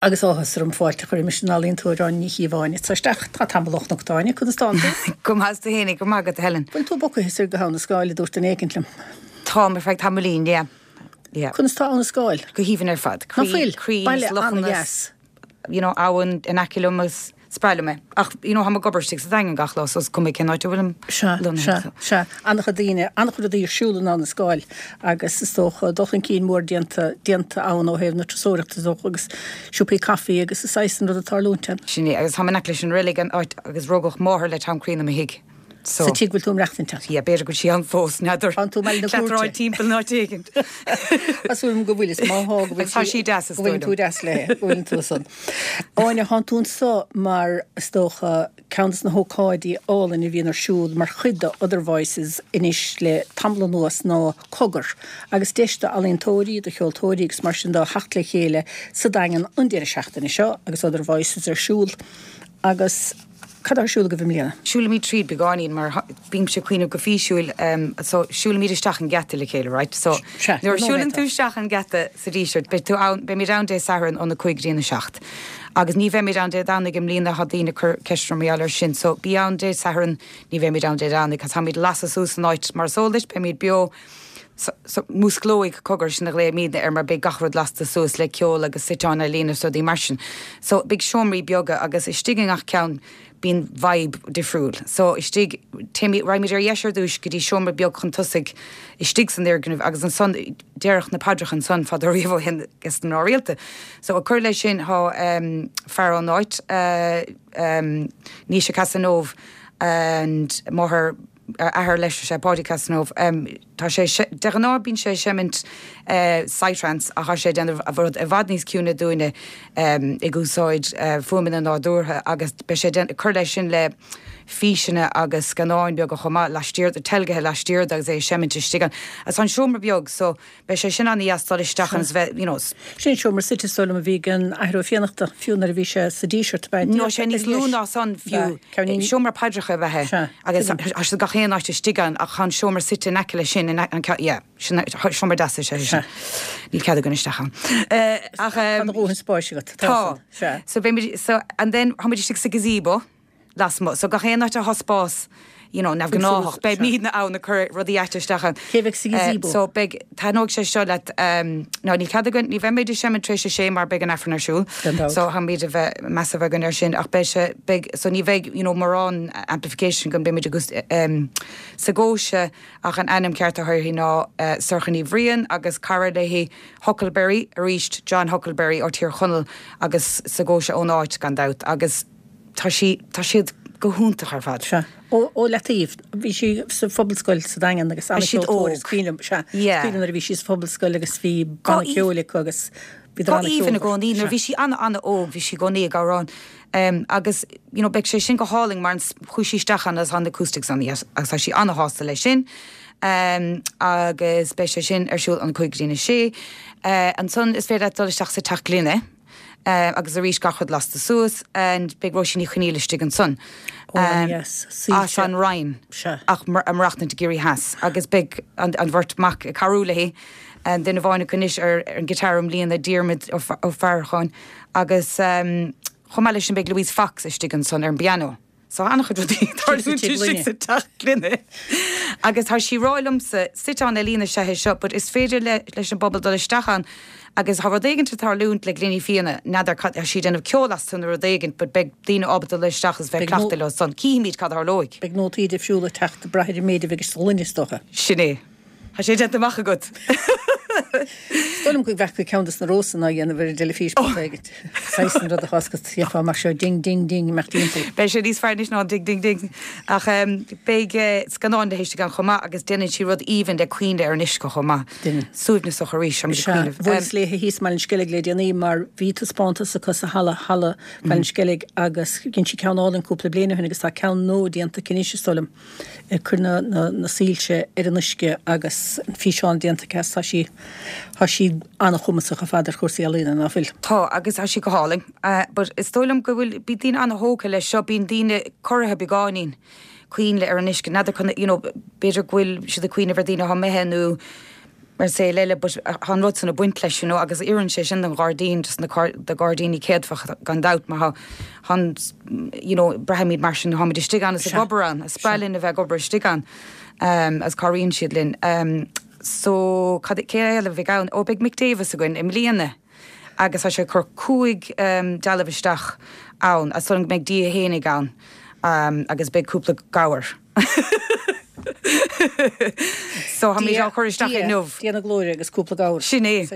Agus áthas orm fáilte a chur roimis an ealaíontóir Áine Ní Chíobháin atá isteach. Tá tamall ó chonac tú Áine, conas tánn tú? Go maith is tú fhéinig, go maith agat a Helen. Bhfuil tú bogtha soir go hAbha na Scáil a dúirt duine éicint liom. Táim ar feadh tamaillín, yeah. Yeah. Conas tá Abha na Scáil? Go haoibhinn ar fad. Ná fuil? Baile an-dheas. You know, abhainn in aice liom agus Is breá liom é. Ach, you know, táim ag obair istigh sa Daingean gach lá, so is cuma cén áit a bhfuilim Sea, lonnaithe, sea, so. sea. An-chuid daoine, an-chuid rudaí ar siúl in Abha na Scáil agus is dócha dul chun cinn mór déanta, déanta ann ó thaobh na turasóireachta is dócha agus siopaí caife agus is saghas an rud ag tarlúint ann. Sin é, agus táim in aice leis an reilig, an áit agus rugadh máthair le Tom Crean i mo thigh. So. Sa tigh go bhfuil tú ag maireachtaint ann. Yeah, b'fhéidir go bhfuil sí ann fós, n'fheadar. Tánn tú i mBaile na Cúirte. Cleatráil timpeall an áit éigint. Tá súil agam go bhfuil, is má thá go bhfuil sí. Tá sí deas, is dóigh liom. Go bhfuil tú deas léi, go bhfuil tú san. Áine, thánn tú anso mar, is dócha, ceann de na hócáidí álainn a bhíonn ar siúl mar chuid de Other Voices anois le tamall anuas ná Cogar, agus deis d'ealaíontóirí, do cheoltóirí agus mar sin de theacht le chéile sa Daingean an deireadh seachtaine seo agus Other Voices ar siúl agus Cad atá ar siúl agaibh i mbliana? Siúlaimid tríd beagáinín mar bímse ag cuimhneamh go físiúil so siúlaimid isteach an geata le chéile right so Sea, nuair a nóiméad siúlann tú isteach an geata sa Díseart beidh tú ann beimid ann Dé Sathairn óna 5 go dtí an 7 agus ní bheimid ann Dé Domhnaigh i mbliana tá daoine ag cur ceist orm mar gheall air sin so bí ann Dé Sathairn ní bheimid ann Dé Domhnaigh 'cause táimid ag lasadh suas an áit mar is eol duit beimid beo So, músclóidh Cogar, sin a ghlaoimidne air mar beidh gach rud lasta suas le ceol agus suiteáin ealaíne is rudaí mar sin. So, beidh seomraí beaga agus istigh i ngach ceann bíonn vibe difriúil. So, istigh, téimid, raghaimid ar dheis ar dtúis go dtí seomra beag chun tosaigh istigh san fhoirgneamh agus ansan deireadh na paidreacha ansan fadó riamh ó shin ag na mná rialta. So, ag cur leis sin thá fear ón áit, Naoise Casanove and máthair, athair leis is ea Páidí Casanove. Tá sé, de ghnáth bíonn sé ag seimint psytrance ach tá sé ag déanamh rud i bhfad níos ciúine dúinne ag úsáid fuaimeanna nádúrtha agus beidh sé ag cur leis sin le físeanna agus scannáin beaga chomh maith laistiar, teilgthe laistiar de agus é ag seimint istigh ann. Agus tá an seomra beag so Beidh sé sin an-dheas dul isteach ann is bheith, you know. Sin an seomra suite is dóigh liom a bhí ag an Athair Ó Fiannachta, fiú nuair a bhí sé sa Díseart, ab ea? Nó sé níos lú ná san fiú. Seomra paidreacha ab ea é. Sea. Agus tá siad gach aon áit istigh ann ach tá an seomra suite in aice leis sin, in an ceann, yeah, sin seomra deas is ea é sin. Níl cead againn isteach ann. Ach. Tá do dhóthain spáis agat. Tá. Sea. So beimid, so and then táimid istigh sa gazebo. lasmuigh. So gach aon áit atá spás, you know, neamhghnáthach, beimidne ann ag cur rudaí aite isteach ann. Cé bheidh sa gazebo? So beidh, taitneoidh sé seo leat, ná níl cead againn, ní bheimid ag seimint tar éis a sé mar beidh an Aifreann ar siúl. Gan dabht. So táimid a bheith, meas a bheith againn air sin ach beidh sé, beidh, so ní bheidh, you know, mórán amplification againn, beimid ag Segóise ach an ainm ceart atá uirthi ná Sorcha Ní Bhriain agus cara léi Huckleberry, arís John Huckleberry ó Tír Chonaill agus Segóise ón áit gan dabht agus Tá sí, tá siad go hiontach ar fad. Sea. Ó, ó leataobh, bhí sí sa phobalscoil sa Daingean agus Bhí siad an-cheoltóir, is óg. cuimhin liom, sea, is Yeah. cuimhin liom nuair a bhí sí sa phobalscoil agus bhí Go banna aoibh- ceoil acu agus bhí Go an aoibhinn i an-cheolmhar. gcónaí, nuair Sea. bhí sí ana-ana-óg, bhí sí i gcónaí ag amhrán. Em, agus, you know, beidh sé sin go hálainn mar an, chuaigh sí isteach ann agus tá an acoustics ann agus tá sí ana-shásta leis sin. Em, agus beidh sé sin ar siúl ón 5 go dtí an 6. Eh, ansan is féidir leat dul isteach sa Teach Gloine. Agus arís gach rud lasta suas and beidh Róisín Ní Chonaola istigh ansan. Oh yes, As an Rinn ach ag maireachtaint i gCiarraí Theas agus beidh an bheirt mac ag cabhrú léi, duine amháin acu anois ar an guitar i mbliana, Diarmuid Ó Faracháin agus chomh maith leis sin beidh Louise Fox istigh ansan ar an bpianó. So an-chuid rudaí ag tarlúint istigh sa teach gloine. Agus tá sí ag rá liomsa, suiteán ealaíne is ea é seo, but is féidir leis an bpobal dul isteach ann agus tá rud éigint ag tarlúint le gloiní fíona, n'fheadar cad, tá sí ag déanamh ceol astu nó rud éigint, but beidh daoine ábalta dul isteach agus bheith ag cleachtadh leo san. Cífimid cad a tharlóidh. Beidh nótaí difriúla ag teacht ag brath ar an méid a bheidh sa ghloine is dócha. Sin é. Tá sé déanta amach agat. Is dóigh liom go bhfeaca ceann dos na Rósanna á dhéanamh ar an dteilifís post éigint. Saghas an rud a chás go dtífeá amach seo ding ding ding imeacht timpeall. Beidh sé níos fearr anois ná an ding ding ding. Ach beidh scannán léi istigh ann chomh maith agus déanann sí rud aoibhinn le coinnle ar an uisce chomh maith. Déanann. Suaimhneasach arís, táimid ag Sea, cuimhneamh. bhuaileas léi thíos i mBaile an Sceilg le déanaí mar bhí taispeántas acu sa halla, halla Bhaile an Sceilg agus dhein sí ceann álainn cúpla bliain ó shin agus tá ceann nua déanta aici anois is dóigh liom. ag cur na soilse ar an uisce agus an físeán déanta aici tá sí, tá sí an-chumasach ar fad ar chúrsaí ealaíne, ná fuil? Tá, agus tá sí go hálainn. But is dóigh liom go bhfuil, bíonn daoine an-thógtha leis seo, bíonn daoine corraithe beagáinín, coinnle ar an uisce, n'fheadar, you know, b'fhéidir go bhfuil siad ag cuimhneamh ar daoine atá imithe nó. Mar saol eile but tá an rud san ag baint leis you know agus oireann sé sin don ghairdín just na do ghairdíní céadfach gan dabht mar tá tá an you know braithimid mar sin táimid istigh ann is ag obair ann is breá linn a bheith ag obair istigh ann um agus cabhraíonn siad linn um so cad cé eile a bheidh ann? Ó beidh Mick Davis againn i mbliana agus tá sé ag cur 5 um dealbh isteach ann as san go mbeidh Dia fhéinig ann um agus beidh cúpla gabhar. So tá muid á chur isteach inniu. Dia na glóire agus cúpla gabhar. Sin é.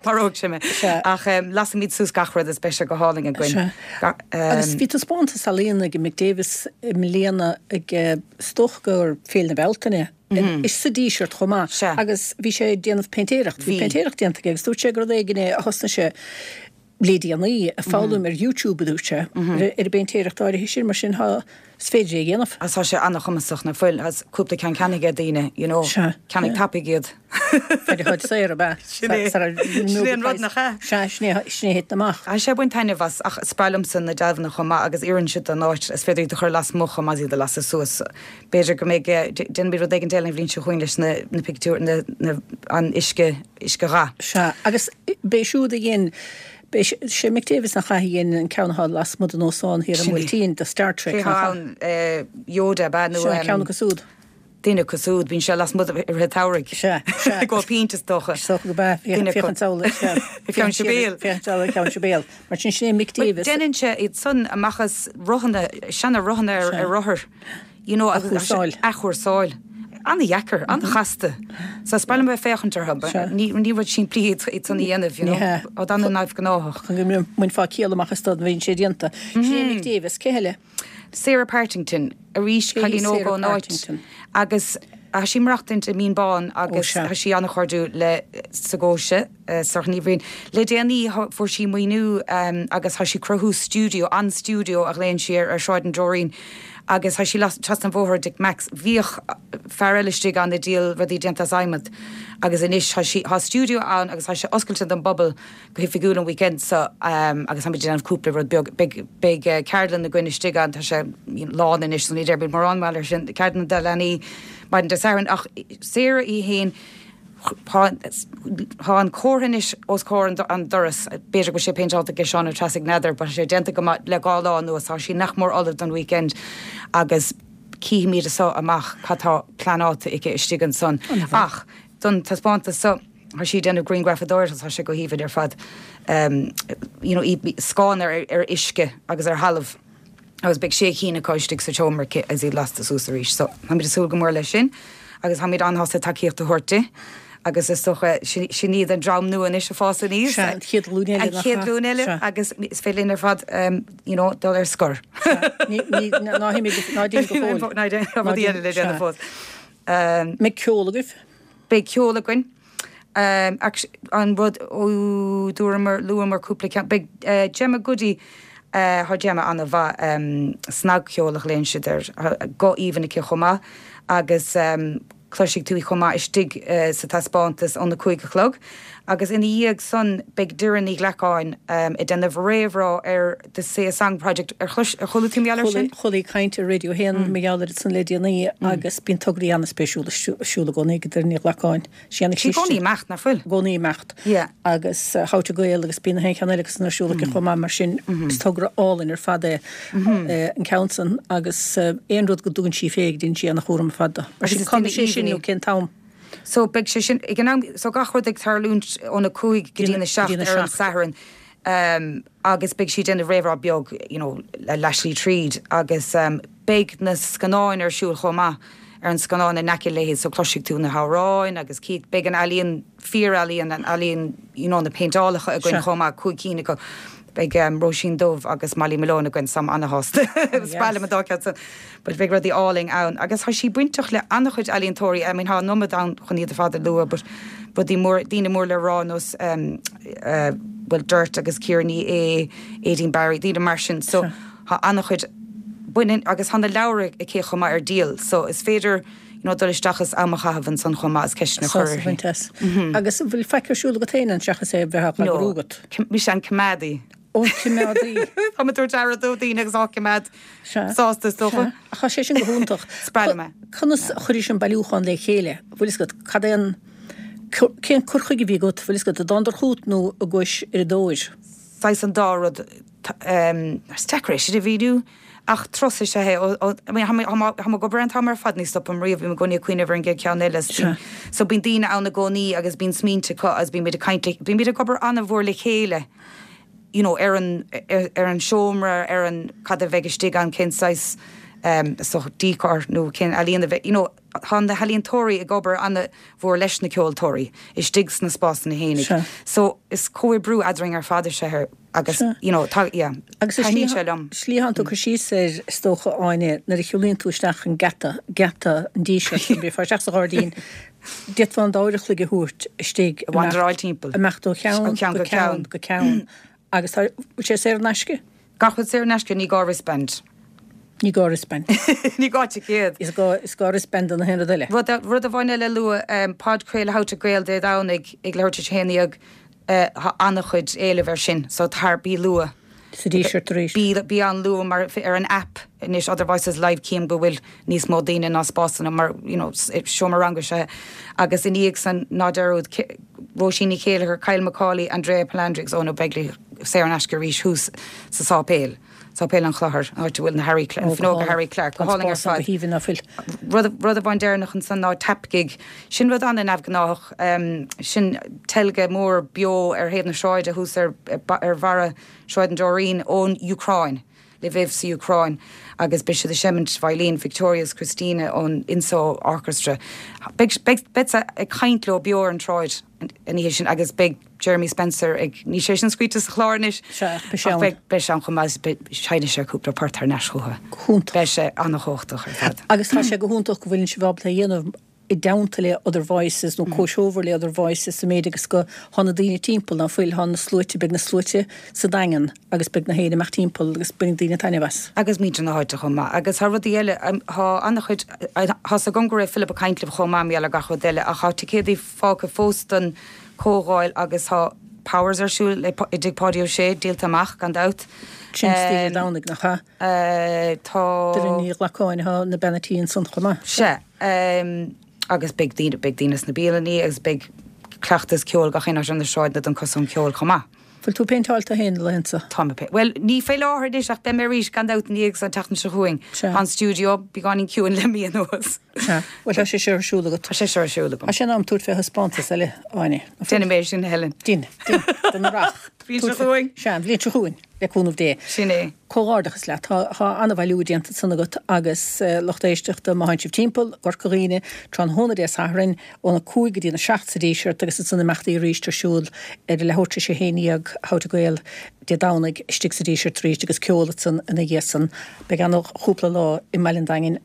Maróidh sé mé. Ach lasfaimid suas gach rud is beidh sé go hálainn againn. Agus bhí taispeántas ealaíona ag Mick Davis i mbliana ag is dócha gur Féile na Bealtaine sa Díseart chomh maith. Agus bhí sé ag déanamh péintéireacht. Bhí péintéireacht déanta aige agus dúirt sé gur rud éigin é a thosnaigh sé le déanaí, ag foghlaim ar YouTube, a dúirt sé, ar an bpéintéireacht áirithe sin, mar sin tá, is féidir é a dhéanamh. Agus tá sé an-chumasach, nach bhfuil? Tá cúpla ceann ceannaithe ag daoine, you know. Sea. Ceannaigh tapaidh iad. Fear a chuid saor, ab ea? Sin é. Sin é an rud, nach ea? Sea, sin é, sin é a thiteann amach. Tá sé ag baint taitneamh as, ach is breá liomsa na dealbhanna chomh maith agus oireann siad don áit, is féidir iad a chur lasmuigh chomh maith is iad a lasadh suas. B'fhéidir go mbeidh, déanfaimid rud éigin eile an bhliain seo chugainn leis na, na pictiúir, na, na, an uisce, uiscedhath. Sea, agus b'é siúd a dhein, b'é sé Mick Davis nach ea a dhein an ceann atá lasmuigh den óstán thiar i mBuailtín, de Star Trek, nach ea? Cé atá ann, Yoda, ab ea, nó. Sea, ceann acu siúd. Duine acu siúd, bíonn sé lasmuigh i rith an tsamhraidh. Sea, sea. Ag ól pint, is dócha. Is dócha gurb ea, féachaint amhlaidh, sea. Ceann Sibéal. Féachaint amhlaidh, ceann Sibéal. Mar sin, sin é Mick Davis. Déanann sé iad san amach as rothanna, seana rothanna ar rothar, you know, Athchúrsáil. Athchúrsáil. An-dheacair, an-chasta. So is breá liom bheith ag féachaint orthu. Ní, ní rud simplí iad, iad san a dhéanamh, you know. Ní hea. Rud an-neamhghnáthach. Chun go mbainfeá ciall amach as dá mbíonn sé déanta. Sin é Mick Davis. Cé heile? Sarah Partington, arís Cé hí cailín óg Sarah ón áit Partington? agus tá sí ag maireachtaint i Mín Bán Ó agus sea. tá sí an-chairdiúil le Saoirse, Sorcha Ní Bhriain. Le déanaí fuair sí maoiniú agus tá sí ag cruthú stiúideo, An Stiúideo a ghlaonn sí air, ar Shráid an Deoirín agus tá sí trasna an bhóthair ó Dick Mack's. Bhíodh fear eile istigh ann ag díol rudaí déanta as adhmad agus anois tá sí, tá stiúideo ann agus tá sé oscailte don bpobal go hoifigiúil an weekend seo agus táimid ag déanamh cúpla rud beag. Beidh, beidh ceardlann againn istigh ann, tá sé lán anois so ní déarfaimid mórán mar gheall air sin, ceardlann do leanaí maidin Dé Sathairn ach Sarah í fhéin, Tá an comhartha anois os comhair an doras, b'fhéidir go bhfuil sé péinteáilte ag Seán Ó Treasaigh, n'fheadar, but tá sé déanta go maith le dhá lá anuas, tá sí nach mór ullamh don weekend agus cífimid as so amach cad tá pleanáilte aici istigh ansan. Ach don taispeántas so, tá sí ag déanamh grianghrafadóireachta, tá sé go haoibhinn ar fad, you know, scáth ar uisce agus ar thalamh. agus beidh sé chinn acu istigh sa tseomra aici agus iad lasta suas arís. So, táimid ag súil go mór leis sin agus táimid an-shásta tacaíocht a thabhairt di agus is dócha sin iad an dream nua anois ag fás aníos. Sea, an chéad ghlúin eile, An chéad ghlúin eile Sea. agus is féidir linn ar fad you know, dul ar scor. Sea. Ní, ní, ná himigh, ná déan go fóill. Ná déan, tá rudaí eile le déanamh fós. Mbeidh ceol agaibh? Beidh ceol againn. An rud, ó dúramar, luamar cúpla ceann, beidh Gemma Goody, tá Gemma an-mhaith, snagcheol a ghlaonn siad air, guth aoibhinn aici chomh maith agus cloisfidh tú í chomh maith istigh sa taispeántas óna 5 a chlog. Agus ina dhiaidh san beidh Doireann Ní Ghlacáin ag déanamh réamhrá ar The Say a Song Project. Ar chlois, ar chuala tú mar gheall air sin? Chuala caint ar Radio 1 mar gheall air san le déanaí agus bíonn tograí an-spéisiúla ar siúl i gcónaí ag Doireann Ní Ghlacáin. Sí an Sí i gcónaí ag imeacht, nach fuil? I gcónaí ag imeacht. Yeah. Agus How to Gael agus bíonn na haon cheann eile acu san ar siúl aici chomh maith mar sin is togra álainn ar fad é an ceann san agus aon rud go dtugann sí fé déanann sí an-chúram ar fad de. Mar sin Agus is cá duine mbeidh sé sin aoibhinn nó í. cén t-am? So beidh sé sin ag an am, so gach rud ag tarlúint óna 5 go dtí na 7 ar an Satharn. Agus beidh sí ag déanamh réamhrá beag you know le leathshlí tríd agus beidh na scannáin ar siúl chomh maith ar an scannán in aice léi so cloisfidh tú na hamhráin agus cífidh, beidh an ealaíon, fíor-ealaíon, an ealaíon you know na péinteálacha againn chomh maith, 5 cinn acu. Beidh Róisín Dubh agus Molly Malone againn so táim ana-shásta. Is breá liom an dá cheann san. But beidh rudaí álainn ann agus tá sí bainteach le an-chuid ealaíontóirí, I mean tá an iomad ann chun iad ar fad a lua but rudaí mór, daoine mór le rá nós bhuel Dirt agus Ciara Ní É, Aideen Barry, daoine mar sin so tá an-chuid baineann agus tá na leabhair aici chomh maith ar díol so is féidir you know dul isteach is am a chaitheamh ansan chomh maith is ceisteanna a chur Sásamh a bhaint as. Agus an bhfuil faic ar siúl agat féin ann seachas é a bheith á No, eagrú agat? mise an coimeádaí. Ó, coimeádaí. Tá mé ag tabhairt aire do dhaoine agus á coimeád Sea. sásta is dócha. Sea. Ach tá sé sin go hiontach. Is breá liom é. Conas a chuiris an bailiúchán le chéile? Bhfuil fhios agat, cad é an. Cén cur chuige a bhí agat, bhfuil fhios agat, a dtánadar chugat nó a gcuais ar a dtóir? Saghas an dá rud. Is deacair é sin a mhíniú ach turas is ea é. I mean, tá mé ag obair an t-am ar fad, ní stopaim riamh, bím i gcónaí ag cuimhneamh ar an gcéad cheann eile. So bíonn daoine ann i gcónaí agus bíonn smaointe acu agus bímid ag caint le, bímid ag obair an-mhór le chéile you know, ar an, ar an seomra, ar an, cad a bheidh istigh ann, cén saghas, is dócha, decor nó cén ealaíon a bheidh, you know, tá na healaíontóirí ag obair an-mhór leis na ceoltóirí istigh sna spásanna fhéinig. Sea. So is comhoibriú eadrainn ar fad is ea é agus Sea. you know, tá, yeah, Agus is taitníonn sé liom. slí a thánn tú ag cur síos air, is dócha, Áine, nuair a shiúlaíonn tú isteach an geata, geata an Dísirt, nuair a bheifeá isteach sa ghairdín, d'fhéadfá an dá uair a chloig a thabhairt istigh, A wanderáil timpeall. imeacht ó cheann Ó cheann go go ceann ceann. go ceann. Agus tá, bhfuil sé saor in aisce? Gach rud saor in aisce, ní gá wristband. Ní gá wristband. Ní gá ticéad. Is gá, is gá wristband do na haon rud eile. Rud, rud amháin eile a lua, podchraoladh How to Gael Dé Domhnaigh ag leathuair tar éis a haon dhéag, tá an-chuid éilimh air sin, so tar, bí luath. Sa Díseart arís. Bí, bí an-luath mar ar an app anois Other Voices Live cím go bhfuil níos mó daoine ná spásanna mar, you know, seomra ranga is ea é. Agus ina dhiaidh san, ná dearúd, Róisín Ní Chéilleachair, Kyle Macaulay, Andrea Palandri agus Eoin Ó Beaglaoich saor in aisce arís thuas sa sáipéal, Sáipéal an Chlochair, an áit a bhfuil na Harry, fuinneoga Harry Clarke, go hálainn ar fad. Rud, rud amháin deireanach ansan ná Tap Gig. Sin rud an-neamhghnáthach. Sin teilge mór beo ar thaobh na sráide thuas ar, ar bharra Shráid an Deoirín ón Úcráin. Lviv sa Úcráin agus beidh siad ag seimint veidhlín Victoria is Christina ón INSO Orchestra. Beidh, beidh, beadsa ag caint leo beo ar an tsráid an oíche sin agus beidh Jeremy Spencer ag, níl sé sin scríte sa chlár anois, Sea, ach beidh sé ach ann. beidh, beidh sé ann chomh maith, beidh, seinnfidh sé cúpla port thar n-ais chucu. Go hiontach. Beidh sé an-chumhachtach ar fad. Agus tá sé go hiontach go bhfuileann sibh ábalta é a dhéanamh i dteannta le Other Voices nó comhthreomhar le Other Voices sa méid agus go thá na daoine timpeall, ná fuil, thá na sluaite, beidh na sluaite sa Daingean agus beidh na héin amach timpeall agus bainfidh daoine taitneamh as. Agus muintir na háite chomh maith. Agus thá rudaí eile, thá an-chuid, thá's agam go raibh Philip ag caint libh chomh maith mar gheall ar gach rud eile ach thá ticéadaí fágtha fós don chomhdháil agus thá Powers ar siúl i dTigh Pháidí Ó Sé, díolta amach gan dabht. Sin istoíche Dé Domhnaigh, nach ea? Tá. Doireann Ní Ghlacáin, thá na bean a' tí ansan chomh maith. Sea. Agus beidh daoine, beidh daoine sna bialannaí agus beidh cleachtas ceoil gach aon áit ar na sráideanna don Cosán Ceoil chomh maith. Bhfuil tú péinteáilte féin na laethanta? Tá mé pé-, bhuel, ní fé láthair anois ach beidh mé arís gan dabht ina dhiaidh san, an tseachtain seo chugainn. Sea. Tá an stiúideo beagáinín ciúin le mí anuas. Sea. Bhuel, tá sé seo ar siúl agat. Tá sé seo ar siúl agam. Tá sé in am tabhairt fé thaispeántas eile, Áine. Déanfaidh mé é sin, a Helen. Déan, déan. Don Earrach. Bhliain seo chugainn. Sea, an bhliain seo chugainn. Le cúnamh Dé. Sin é. Comhghairdeachas leat. Tá an-bhailiú déanta ansan agat agus lucht éisteachta, má thánn sibh timpeall i gCorca Dhuibhne tráthnóna Dé Sathairn óna 5 go dtí na 7 sa Díseart agus ansan imeachtaí arís ar siúl ar a leathuair tar éis a 11 How to Gael Dé Domhnaigh istigh sa Díseart arís agus ceol ansan ina dhiaidh san. Beidh an-chúpla lá i mBaile an Daingin.